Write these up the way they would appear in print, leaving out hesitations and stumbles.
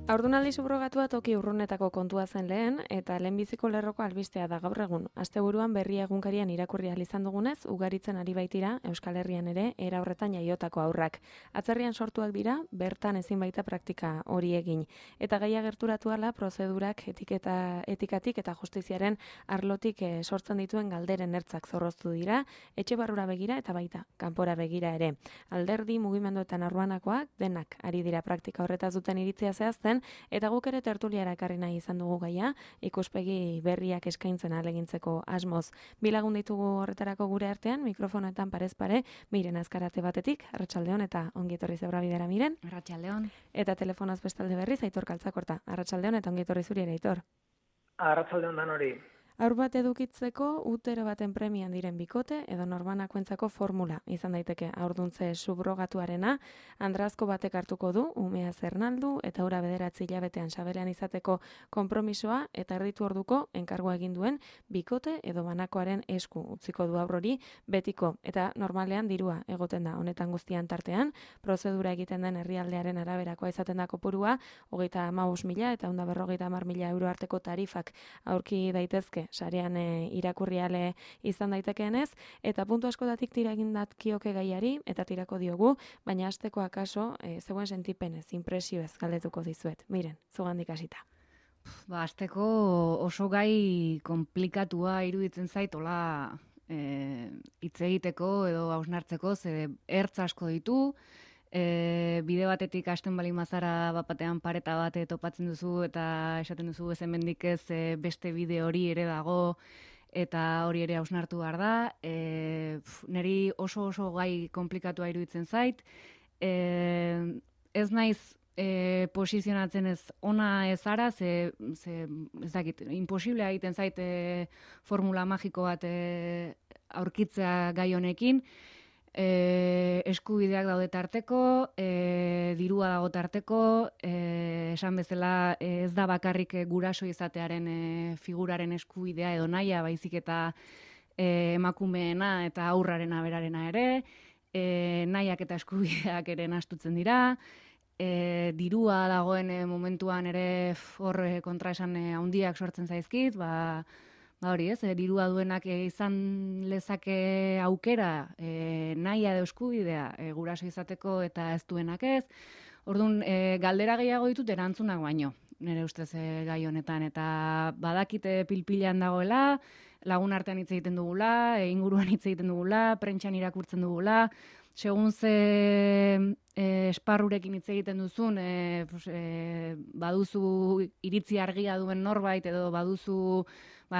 Haurdunaldi subrogatua toki urrunetako kontua zen lehen, eta lehenbiziko lerroko albistea da gaur egun. Asteburuan Berria egunkarian irakurri ahal izan dugunez, ugaritzen ari baitira Euskal Herrian ere era horretan jaiotako haurrak. Atzerrian sortuak dira, bertan ezin baita praktika hori egin. Eta gaia gerturatu ala, prozedurak etikatik eta justiziaren arlotik sortzen dituen galderen ertzak zorroztu dira, etxe barrura begira eta baita kanpora begira ere. Alderdi, mugimenduetan arbanakoak, denak ari dira praktika horretaz duten iritzia zehazten, eta guk ere tertuliara ekarri nahi izan dugu gaia, ikuspegi berriak eskaintzen ahalegintzeko asmoz. Bi lagun ditugu horretarako gure artean, mikrofonoetan parez pare, Miren Azkarate batetik, Arratsaldeon eta ongi etorri Zebra Bidera, Miren. Arratsaldeon. Eta telefonoz bestalde berriz, Aitor Kaltzakorta. Arratsaldeon eta ongi etorri zuri ere, Aitor. Arratsaldeon dan hori. Haur bat edukitzeko utero baten premian diren bikote edo norbanakoentzako formula izan daiteke haurduntze subrogatuarena. Andrazko batek hartuko du, umea zernaldu eta ura 9 hilabetean saberean izateko konpromisoa eta erditu orduko enkargua egin duen bikote edo banakoaren esku utziko du haurrori betiko eta normalean dirua egoten da honetan guztian tartean. Prozedura egiten den herrialdearen araberakoa izaten da kopurua 35.000 eta 150.000 euro arteko tarifak aurki daitezke sarean irakurriale izan daitekeenez, eta puntu askotatik tira egin datkioke gaiari, eta tirako diogu, baina hasteko akaso zeuen sentipenez, impresioez galdetuko dizuet. Miren, zugandik hasita. Hasteko oso gai konplikatua iruditzen zait, hola hitz egiteko edo hausnartzeko, ze ertz asko ditu, bide batetik hasten bali mazara bapatean pareta bate topatzen duzu eta esaten duzu ez hemendik ez beste bide hori ere dago eta hori ere hausnartu behar da. Neri oso gai komplikatua iruditzen zait. Ez naiz posizionatzen ez ona ez ara, ze ez dakit, imposiblea egiten zait formula magiko bat aurkitzea gai honekin. Eskubideak daude tarteko, dirua dago tarteko, esan bezala ez da bakarrik guraso izatearen figuraren eskubidea edo nahia, baizik eta emakumeena eta haurraren aberarena ere, nahiak eta eskubideak ere nahastutzen dira, dirua dagoen momentuan ere hor kontraesan handiak sortzen zaizkit, hori ez, dirua duenak izan lezake aukera, nahia edo eskubidea guraso izateko eta ez duenak ez. Orduan, galdera gehiago ditut erantzunak baino, nire ustez gai honetan, eta badakite pilpilean dagoela, lagun artean hitz egiten dugula, inguruan hitz egiten dugula, prentxan irakurtzen dugula, segun ze esparrurekin hitz egiten duzun, baduzu iritzi argia duen norbait, edo baduzu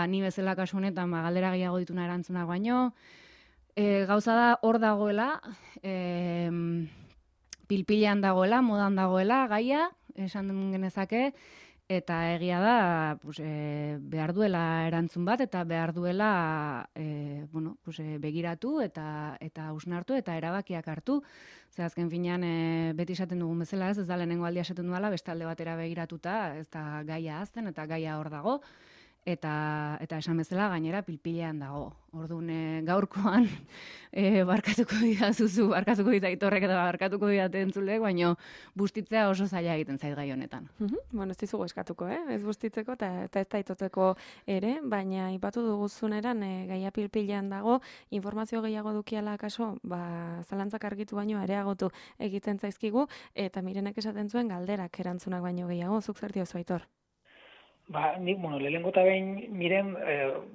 ni bezala kasu honetan galdera gehiago dituna erantzunak baino. Gauza da hor dagoela, pilpilean dagoela, modan dagoela, gaia, esan genezake, eta egia da behar duela erantzun bat, eta behar duela begiratu eta hausnartu eta erabakiak hartu. Ze azken finean beti esaten dugun bezala ez da lehenengo aldia esaten duela, beste alde batera begiratuta, ez da gaia hazten eta gaia hor dago. Eta esan bezala gainera pilpilean dago. Orduan gaurkoan barkatuko didazuzu, barkatuko ditaitorrek eta barkatuko didate entzulek, baina bustitzea oso zaila egiten zait gai honetan. Bueno, ez dizugu eskatuko, ez bustitzeko eta ez daitoteko ere, baina aipatu duguzuneran gaia pilpilean dago, informazio gehiago dukiala kaso, zalantzak argitu baino areagotu egiten zaizkigu, eta Mirenek esaten zuen galderak erantzunak baino gehiago, zuk zer diozu, Aitor? Nik, lehenengo eta behin Miren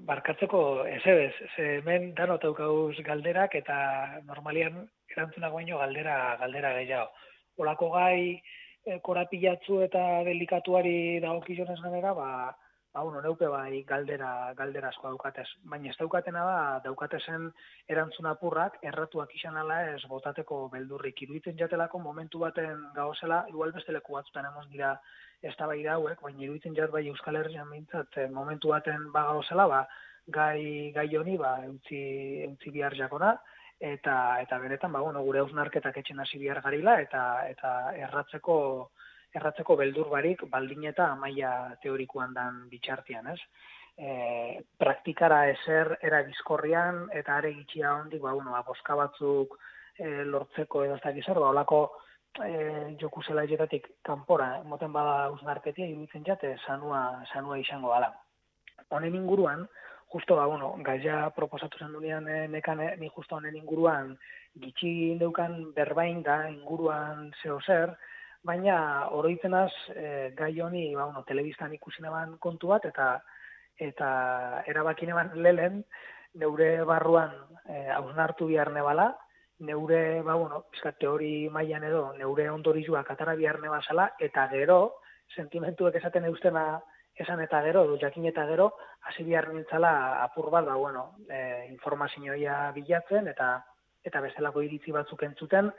barkatzeko ezebez, hemen danot daukauz galderak eta normalian erantzunak baino galdera gehiago. Olako gai korapilatzu eta delikatuari dagokionez ganera, neuke bai galdera asko daukatez. Baina ez daukatena da, daukatezen erantzun apurrak erratuak izan ala ez botateko beldurrik. Iruditzen jatelako momentu baten gauzela, igual beste leku batzutan emon dira eztabaida hauek, baina iruditzen jat bai Euskal Herrian behintzat momentu baten gauzela, gai honi eutzi bihar jakona, eta benetan gure hausnarketak etxen hasi bihar garila eta erratzeko beldur barik baldin eta maila teorikoan dan bitxartian, ez? Praktikara ezer era bizkorrian eta are gitxia hondik, boska batzuk lortzeko edo ez dakiz zer, olako joku zelaietatik kanpora, moten bada hausnarketia, iruditzen jate, sanua izango gala. Honen inguruan, justo, gaia proposatu zen dunean nekane, ni justo honen inguruan gitxi deukan berbain da inguruan zeo zer, baina oroitzenaz gai honi, telebistan ikusi neban kontu bat, eta erabaki neban lehen, neure barruan hausnartu behar nebala, neure, pizkat teori mailan edo, neure ondorizuak atara behar nebazala, eta gero, sentimentuek esaten eustena esan eta gero, jakin eta gero, hasi behar nintzala apur bat, informazioa bilatzen, eta bestelako iritzi batzuk entzuten,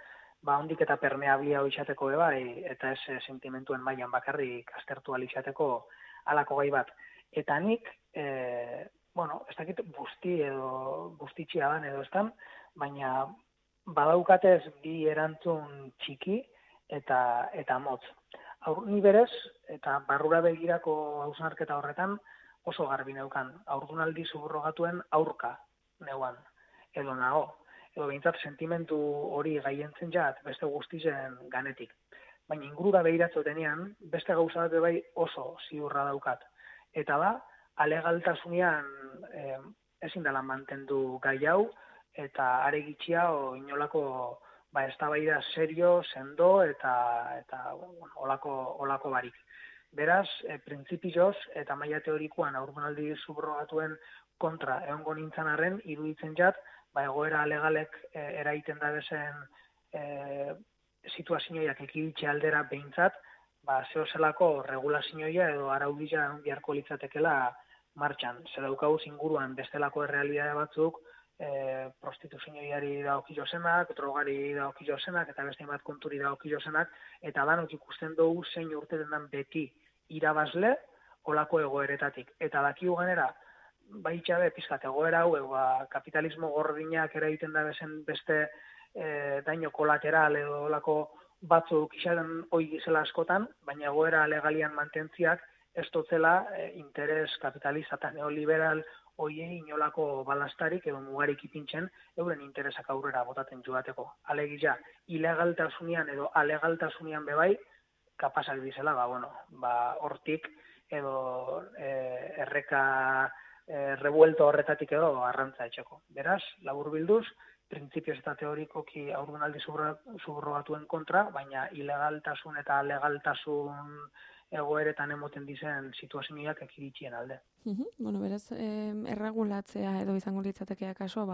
ondik eta permeablia izateko bai, eta ez sentimentuen mailan bakarrik aztertu izateko halako gai bat. Eta nik, ez dakit bustitxia dan edo estan, baina badaukatez bi erantzun txiki eta motz. Ni berez, eta barrura begirako hausnarketa horretan, oso garbi neukan. Haurdunaldi suburrogatuen aurka neuan, edo nago. Edo behintzat sentimentu hori gaientzen jat beste guztizen ganetik. Baina ingurura behiratzotenean, beste gauza bat bai oso ziurra daukat. Eta da, alegaltasunean ezin dela mantendu gai hau, eta are gitxia inolako eztabaida serio, sendo eta olako barik. Beraz, printzipioz eta maila teorikoan haurdunaldi subrogatuen kontra egongo nintzen arren, iruditzen jat, egoera legalek eraiten da bezen situazioiak ekiditxe aldera behintzat, zeo zelako regulazioia edo araudila biharko litzatekela martxan. Zer daukaguz inguruan bestelako errealidade batzuk, prostituzioari daokio zenak, drogari daokio zenak, eta beste bat konturi daokio zenak, eta danok ikusten dugu zein urteten den beti irabazle olako egoeretatik. Eta dakigu genera, baitxabe, pizkat egoera hau, kapitalismo gordinak eraiten da bezen beste daño kolateral edo olako batzuk izan hoi gizela askotan, baina egoera legalian mantentziak ez dotzela interes kapitalista eta neoliberal hoiei inolako balastarik edo mugarik ipintzen euren interesak aurrera botaten joateko. Alegia, ilegaltasunean edo alegaltasunean bebai, kapasak dizela, hortik edo erreka revuelto horretatik edo arrantza etxeko. Beraz, labur bilduz, printzipioz eta teorikoki haurdunaldi suburrogatuen kontra, baina ilegaltasun eta legaltasun egoeretan emoten dizen situazioak ekiditxien alde. Beraz, erregulatzea edo izango litzatekea kaso,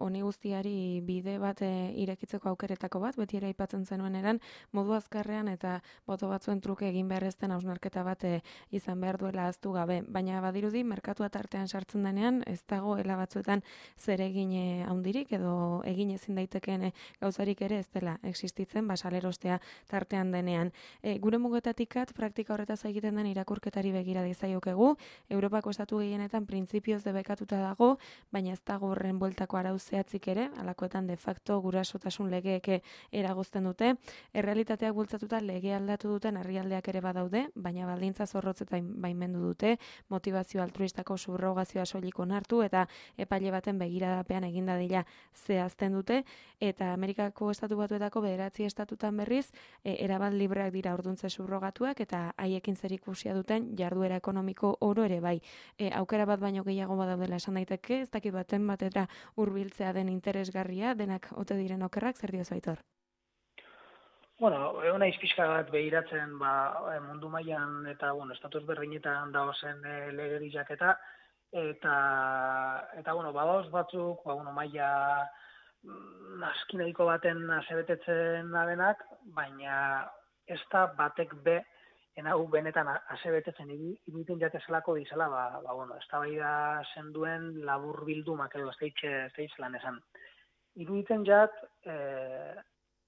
honi guztiari bide bat irekitzeko aukeretako bat, beti ere aipatzen zenuen eran, modu azkarrean eta boto batzuen truke egin beharrezten hausnarketa bat izan behar duela aztu gabe. Baina badirudi, merkatua tartean sartzen denean, ez dagoela batzuetan zer egin handirik edo egin ezin daitekeen gauzarik ere ez dela existitzen, salerostea tartean denean. Gure mugetatikat, praktika horretaz egiten den irakurketari begira dizaiokegu, Europako estatu gehienetan printzipioz debekatuta dago, baina ez dago horren bueltako arau zehatzik ere, alakoetan de facto gurasotasun legeek eragozten dute. Errealitateak bultzatuta lege aldatu duten herrialdeak ere badaude, baina baldintza zorrotzetan baimendu dute, motivazio altruistako subrogazioa soilik onartu eta epaile baten begiradapean egin dadila zehazten dute, eta Amerikako estatu batuetako 9 estatutan berriz, erabat libreak dira orduntze subrogatuak eta haiekin zerikusia duten jarduera ekonomiko oro ere bai. Aukera bat baino gehiago badaudela esan daiteke, ez dakit baten batera hurbiltzea den interesgarria, denak ote diren okerrak, zer diozu Aitor? Egon naiz pixka bat behiratzen mundu mailan eta estatus berdinetan dagozen legediak eta badaoz batzuk maila askinaiko baten asebetetzen adenak, baina ez da batek be hau benetan asebetetzen iruditzen jatezelako dizela, eztabaida zenduen labur bildumak edo ez lan esan. Iruditzen jat,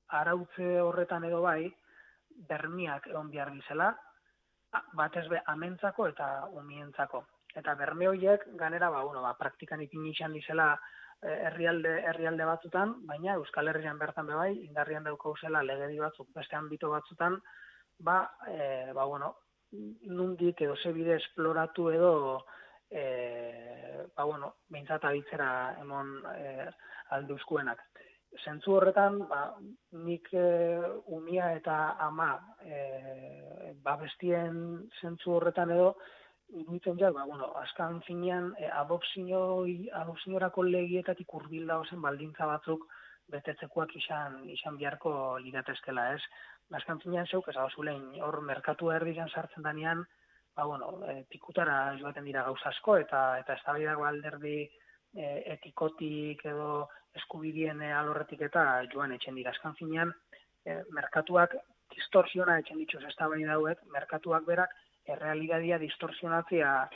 arautze horretan edo bai, bermiak egon behar dizela, batez be amentzako eta umientzako. Eta berme horiek ganera, praktikan ipini izan dizela herrialde batzutan, baina Euskal Herrian bertan bebai, indarrian daukauzela legedi batzuk, beste ambito batzutan, nundik edo zebide esploratu edo behintzat abitzera emon aldeuzkuenak. zentzu horretan, nik umia eta ama babestien zentzu horretan edo, iruditzen jak, azkan finean, adopziorako legietatik hurbil dauzen baldintza batzuk betetzekoak izan beharko liratezkela, ez? Azkan finean zeuk, ez zulein, hor merkatu erdian sartzen danean, pikutara joaten dira gauza asko, eta eztabaidak alderdi etikotik edo eskubidien alorretik eta joan etxen dira. Azkan finean, merkatuak distorsiona etxen dituz eztabaida hauek, merkatuak berak errealitatea distorsionatzea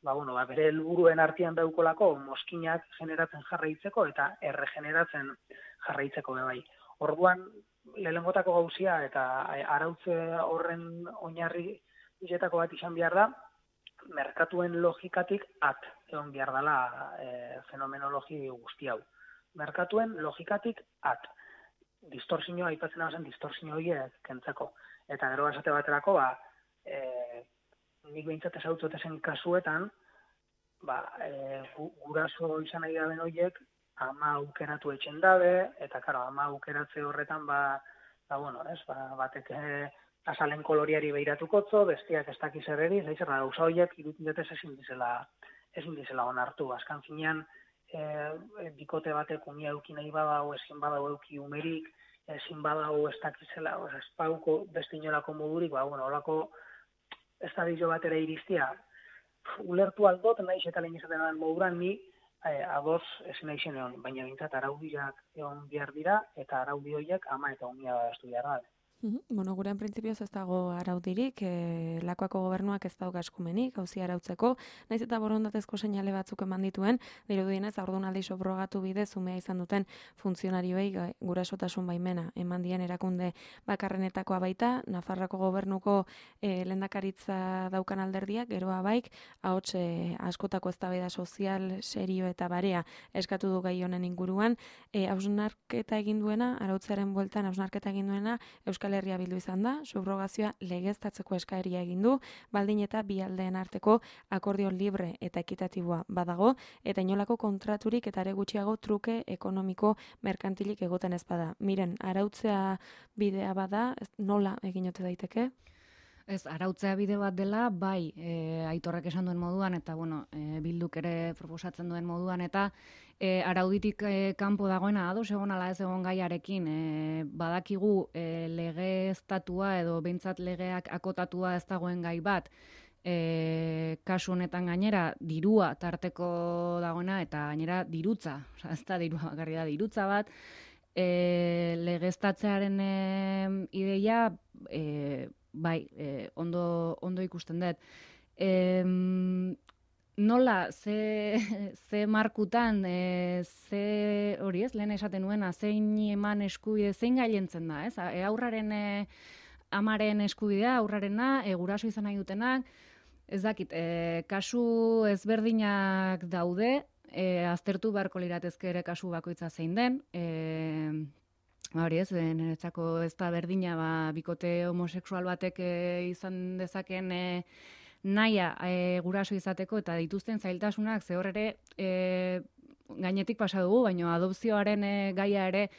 bere helburuen artean daukolako mozkinak generatzen jarraitzeko eta erregeneratzen jarraitzeko bai. Orduan, lehenengotako gauzia eta arautze horren oinarri bizetako bat izan behar da, merkatuen logikatik egon behar dela fenomenologi guzti hau. Merkatuen logikatik distorsioa aipatzen hau distorsioa horiek kentzeko. Eta gero esate baterako, nik behintzat ezautzot zen kasuetan, guraso izan nahi daben horiek, ama aukeratu etxen dabe, eta ama aukeratze horretan, batek azalen koloriari beiratukotzo, bestiak ez dakiz erreri, zaizerra gauza horiek irutinetez ezin dizela onartu. Azkan finean, bikote batek umia euki nahi badau, ezin badau euki umerik, ezin badau ez dakizela, ez pauko beste inolako modurik, holako ez da dizo bat ere iriztia, ulertu aldot, nahiz eta lehen izaten den moduran, ni adoz ezin nahi zen egon, baina bintzat araudiak egon behar dira, eta araudi horiek ama eta umia bastu behar da. Gurean printzipioz ez dago araudirik, Lakuako gobernuak ez dauka eskumenik, auzia arautzeko, naiz eta borondatezko seinale batzuk eman dituen, dirudienez haurdunaldi subrogatu bidez umea izan duten funtzionarioei gurasotasun baimena eman dien erakunde bakarrenetakoa baita, Nafarroako gobernuko lehendakaritza daukan alderdiak, geroa baik, ahots askotako eztabaida sozial, serio eta barea eskatu du gai honen inguruan, hausnarketa egin duena, arautzearen bueltan hausnarketa egin duena, Euskal Herria Bildu izan da, subrogazioa legeztatzeko eskaeria egin du, baldin eta bi aldeen arteko akordio libre eta ekitatiboa badago, eta inolako kontraturik eta ere gutxiago truke ekonomiko merkantilik egoten ez bada. Miren, arautzea bidea bada, nola egin ote daiteke? Ez, arautzea bide bat dela, bai, Aitorrek esan duen moduan, eta Bilduk ere proposatzen duen moduan, eta arauditik kanpo dagoena ados egon ala ez egon gaiarekin, badakigu legeztatua edo behintzat legeak akotatua ez dagoen gai bat, kasu honetan gainera dirua tarteko dagoena, eta gainera dirutza, ez da dirua bakarri da dirutza bat, legeztatzearen ideia, bai, ondo ikusten dut. Nola, ze markutan, ze hori ez, lehen esaten nuena, zein eman eskubide, zein gailentzen da, ez? Aurraren amaren eskubidea, aurrarena, guraso izan nahi dutenak, ez dakit, kasu ezberdinak daude, aztertu beharko liratezke ere kasu bakoitza zein den, hori ez, niretzako ez da berdina, bikote homosexual batek izan dezaken naia guraso izateko eta dituzten zailtasunak ze hor ere gainetik pasa dugu, baina adopzioaren gaia ere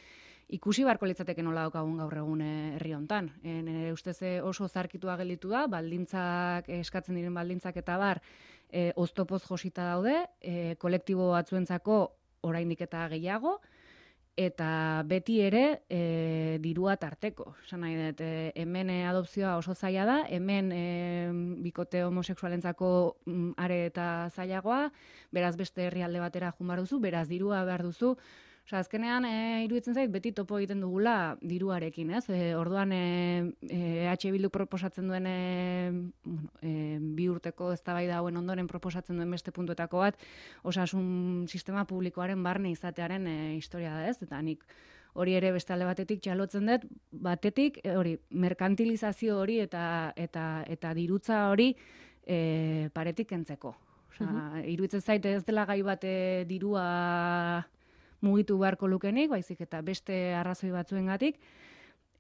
ikusi beharko litzateke nola daukagun gaur egun herri hontan. Nire ustez oso zarkitua gelditu da, baldintzak, eskatzen diren baldintzak eta bar, oztopoz josita daude, kolektibo batzuentzako oraindik eta gehiago, eta beti ere dirua tarteko. Esan nahi dut, hemen adopzioa oso zaila da, hemen bikote homosexualentzako are eta zailagoa, beraz beste herrialde batera joan behar duzu, beraz dirua behar duzu. Azkenean, iruditzen zait, beti topo egiten dugula diruarekin, ez? Orduan, Bilduk proposatzen duen, 2 urteko eztabaida hauen ondoren proposatzen duen beste puntuetako bat, osasun sistema publikoaren barne izatearen historia da, ez? Eta nik hori ere beste alde batetik txalotzen dut, batetik, hori, merkantilizazio hori eta dirutza hori paretik kentzeko. Iruditzen zait, ez dela gai bat dirua mugitu beharko lukenik, baizik eta beste arrazoi batzuengatik,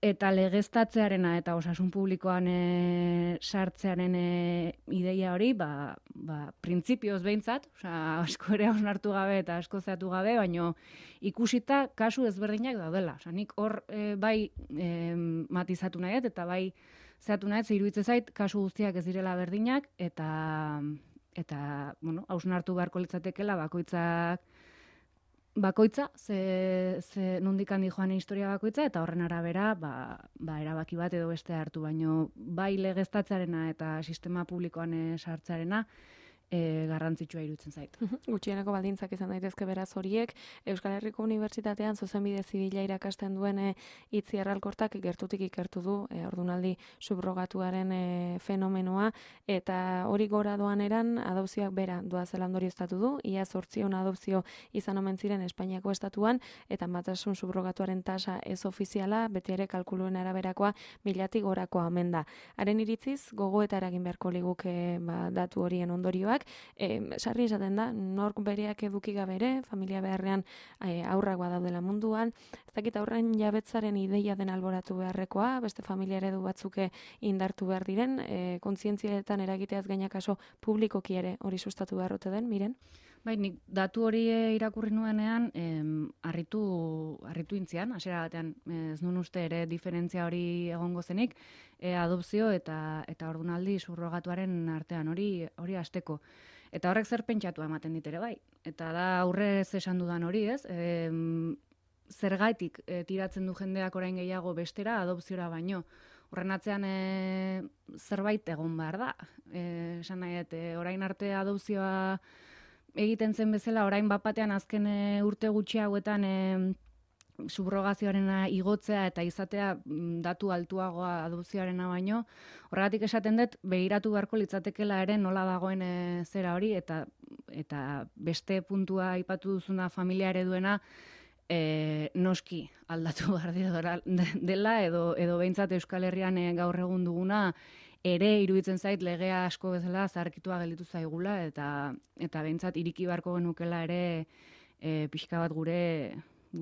Eta legeztatzearena eta osasun publikoan sartzearen ideia hori, printzipioz behintzat, asko ere hausnartu gabe eta asko zeatu gabe, baino ikusita kasu ezberdinak daudela. Nik hor bai matizatu nahiet eta bai zeatu nahiet, iruditzen zait kasu guztiak ez direla berdinak, eta hausnartu beharko litzatekela bakoitza, ze nondik handi joan historia bakoitza, eta horren arabera, erabaki bat edo beste hartu, baino bai legeztatzearena eta sistema publikoan sartzearena, garrantzitsua iruditzen zait. Gutxieneko baldintzak izan daitezke beraz horiek, Euskal Herriko Unibertsitatean zuzenbide zibila irakasten duen Itziar Alkortak gertutik ikertu du ordunaldi subrogatuaren fenomenoa, eta hori gora doan eran adopzioak bera doazela ondorioztatu du, ia 800 adopzio izan omen ziren Espainiako estatuan, eta batasun subrogatuaren tasa ez ofiziala, beti ere kalkuluen araberakoa 1000tik gorakoa omen da. Haren iritziz, gogoeta eragin beharko liguke datu horien ondorioak, sarri esaten da, nork bereak eduki gabe ere, familia beharrean aurrak badaudela munduan, ez dakit aurren jabetzaren ideia den alboratu beharrekoa, beste familia eredu batzuke indartu behar diren, kontzientzietan eragiteaz gainakaso publikoki ere hori sustatu beharrote den, miren? Bai, nik datu hori irakurri nuenean, harritu intzian, hasiera batean, ez nun uste ere diferentzia hori egongo zenik, adopzio eta ordunaldi subrogatuaren artean hori hasteko. Eta horrek zer pentsatu ematen dit ere bai. Eta da aurrez esan dudan hori, ez? Zergatik tiratzen du jendeak orain gehiago bestera, adopziora baino. Horren atzean zerbait egon behar da. Esan nahi, orain arte adopzioa egiten zen bezala, orain bapatean azken urte gutxi hauetan subrogazioarena igotzea eta izatea datu altuagoa adopzioarena baino. Horregatik esaten dut, begiratu beharko litzatekela ere nola dagoen zera hori, eta beste puntua aipatu duzuna familia ereduena noski aldatu behar dela, edo behintzat Euskal Herrian gaur egun duguna, ere iruditzen zait legea asko bezala zaharkitua gelditu zaigula, eta behintzat iriki beharko genukela ere pixka bat gure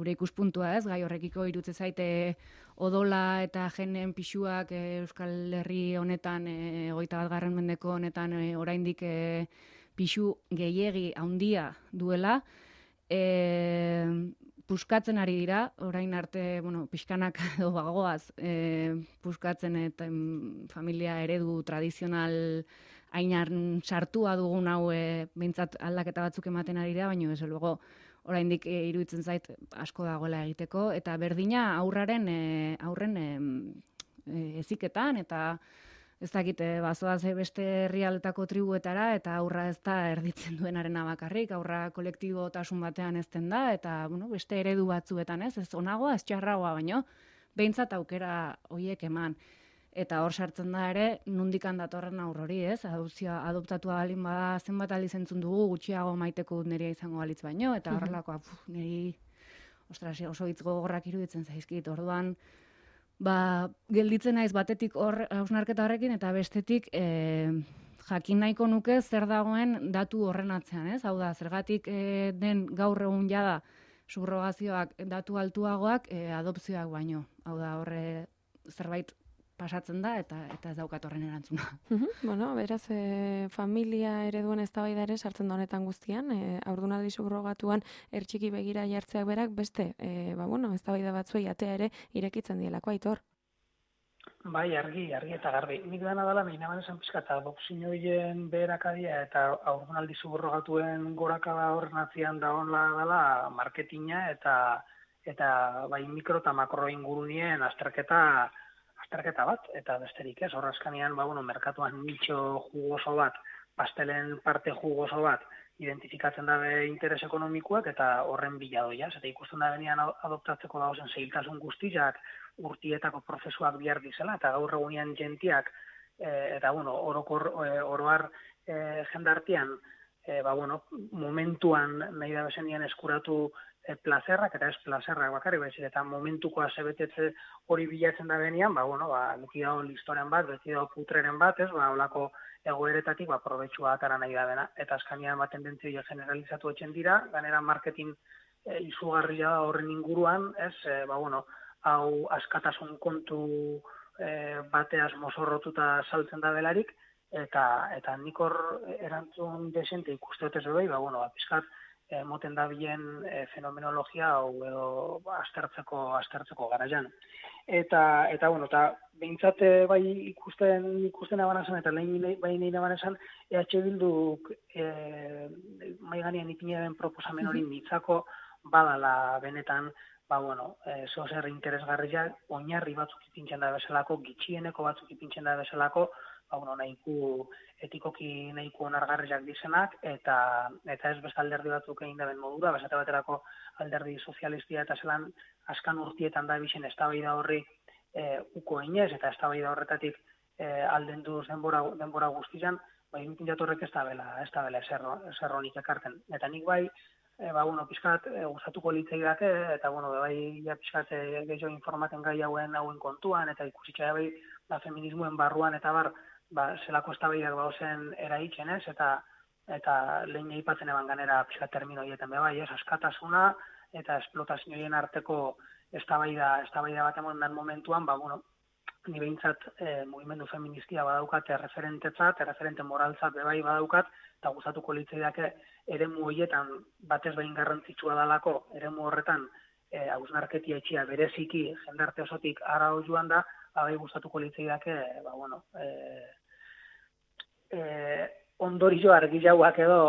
ikuspuntua, ez, gai horrekiko iruditzen zaite odola eta jenen pisuak Euskal Herri honetan, 21. mendeko honetan oraindik pisu gehiegi handia duela, puskatzen ari dira, orain arte, pixkanak edo bagoaz, puskatzen eta familia eredu tradizional hainan sartua dugun hau behintzat aldaketa batzuk ematen ari dira, baina desde luego oraindik iruditzen zait asko dagoela egiteko, eta berdina aurren heziketan, eta ez dakit, bazoaz beste herrialdetako tribuetara, eta aurra ez da erditzen duenarena bakarrik, aurra kolektibotasun batean ezten da, eta beste eredu batzuetan ez onagoa, ez txarragoa, baino, behintzat aukera horiek eman. Eta hor sartzen da ere, nondikan datorren aurrori, ez? Adoptatua balin bada zenbat aldiz entzun dugu, gutxiago maiteko dut nerea izango balitz baino, eta horrelakoa, niri, oso hitz gogorrak iruditzen zaizkit, orduan, gelditzen naiz batetik hor hausnarketa horrekin, eta bestetik jakin nahiko nuke zer dagoen datu horren atzean, ez? Hau da, zergatik den gaur egun jada subrogazioak datu altuagoak adopzioak baino. Hau da, horre zerbait pasatzen da, eta ez daukat horren erantzuna. Beraz, familia ereduen eztabaida ere sartzen da honetan guztian, haurdunaldi subrogatuan ertxiki begira jartzeak berak beste, eztabaida batzuei atea ere irekitzen dielako, Aitor. Bai, argi eta garbi. Nik dena dela, nahi naban esan pizka, eta adopzioen beherakadia eta haurdunaldi subrogatuen gorakada horren atzian dagoela dela marketina eta bai mikro eta makro ingurunien azterketa bat, eta besterik ez, horrazkanean, merkatuan nitxo jugoso bat, pastelen parte jugoso bat, identifikatzen dabe interes ekonomikoak eta horren biladoia, eta ikusten da benean adoptatzeko dagozen zailtasun guztiak, urtietako prozesuak bihar dizela, eta gaur egunean jentiak, eta oroar jendartian, momentuan nahi da bezenian eskuratu plazerrak, eta ez plazerrak bakarrik, baizik, eta momentuko azebetetze hori bilatzen da benean, beti dago listoren bat, beti dago putreren bat, ez, holako egoeretatik, probetxua atara nahi da dena, eta azkanean tendentzia generalizatu etxen dira, ganera marketing izugarria horren inguruan, ez, hau askatasun kontu bateaz mozorrotuta saltzen da belarik, eta nik hor erantzun desente ikuste dut ez bai, pizkat, moten da bilen fenomenologia hau edo aztertzeko garaian. Eta behintzat bai ikusten abanazan, eta lehen abanazan, EH Bilduk mai gainean ipinaren proposamen hori nitzako badala benetan, zozer interesgarria, oinarri batzuk ipintzen da bezalako, gitxieneko batzuk ipintzen da bezalako, nahiku etikoki nahiku onargarriak dizenak, eta ez beste alderdi batzuk egin da ben modura, besate baterako alderdi sozialistia eta zelan askan urtietan da bixen eztabaida horri uko inez, eta eztabaida horretatik alden duz denbora guztian, ipintzat horrek ez da bela ezer honik ekarten. Eta nik bai, pixkat gustatuko litzaidake, eta pixkat gehiago informaten gai hauen kontuan, eta ikusitza bai feminismoen barruan, eta zelako eztabaidak bauzen eraitzen ez, eta lehen aipatzen eban ganera pixkat termino hieten bai, askatasuna eta esplotazioen arteko eztabaida bat emon den momentuan, ni behintzat mugimendu feministia badaukat referente moraltzat bai badaukat, eta gustatuko litzaidake eremu horietan batez behin garrantzitsua dalako, eremu horretan hausnarketia etxia bereziki jendarte osotik ara joan da, bai gustatuko litzaidake, ondorio argilauak edo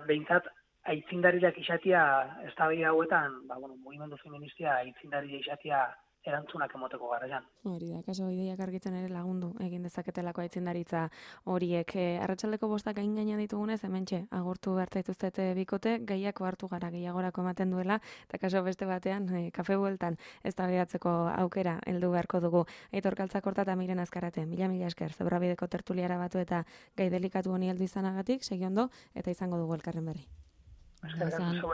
behintzat aitzindariak izatia eztabaida hauetan, mugimendu feministia aitzindaria izatia erantzunak emoteko garaian. Hori da, kaso ideiak argitzen ere lagundu egin dezaketelako aitzindaritza horiek. Arratsaldeko bostak gaina ditugunez, hementxe agurtu bertaituztete bikote, gehiako hartu gara, gehiagorako ematen duela, eta kaso beste batean, kafe bueltan eztabaidatzeko aukera heldu beharko dugu. Aitor Kaltzakorta eta Miren Azkarate, mila esker, Zebrabideko tertuliara batu eta gai delikatu honi heldu izanagatik, segi ondo, eta izango dugu elkarren berri. Eskerrik asko.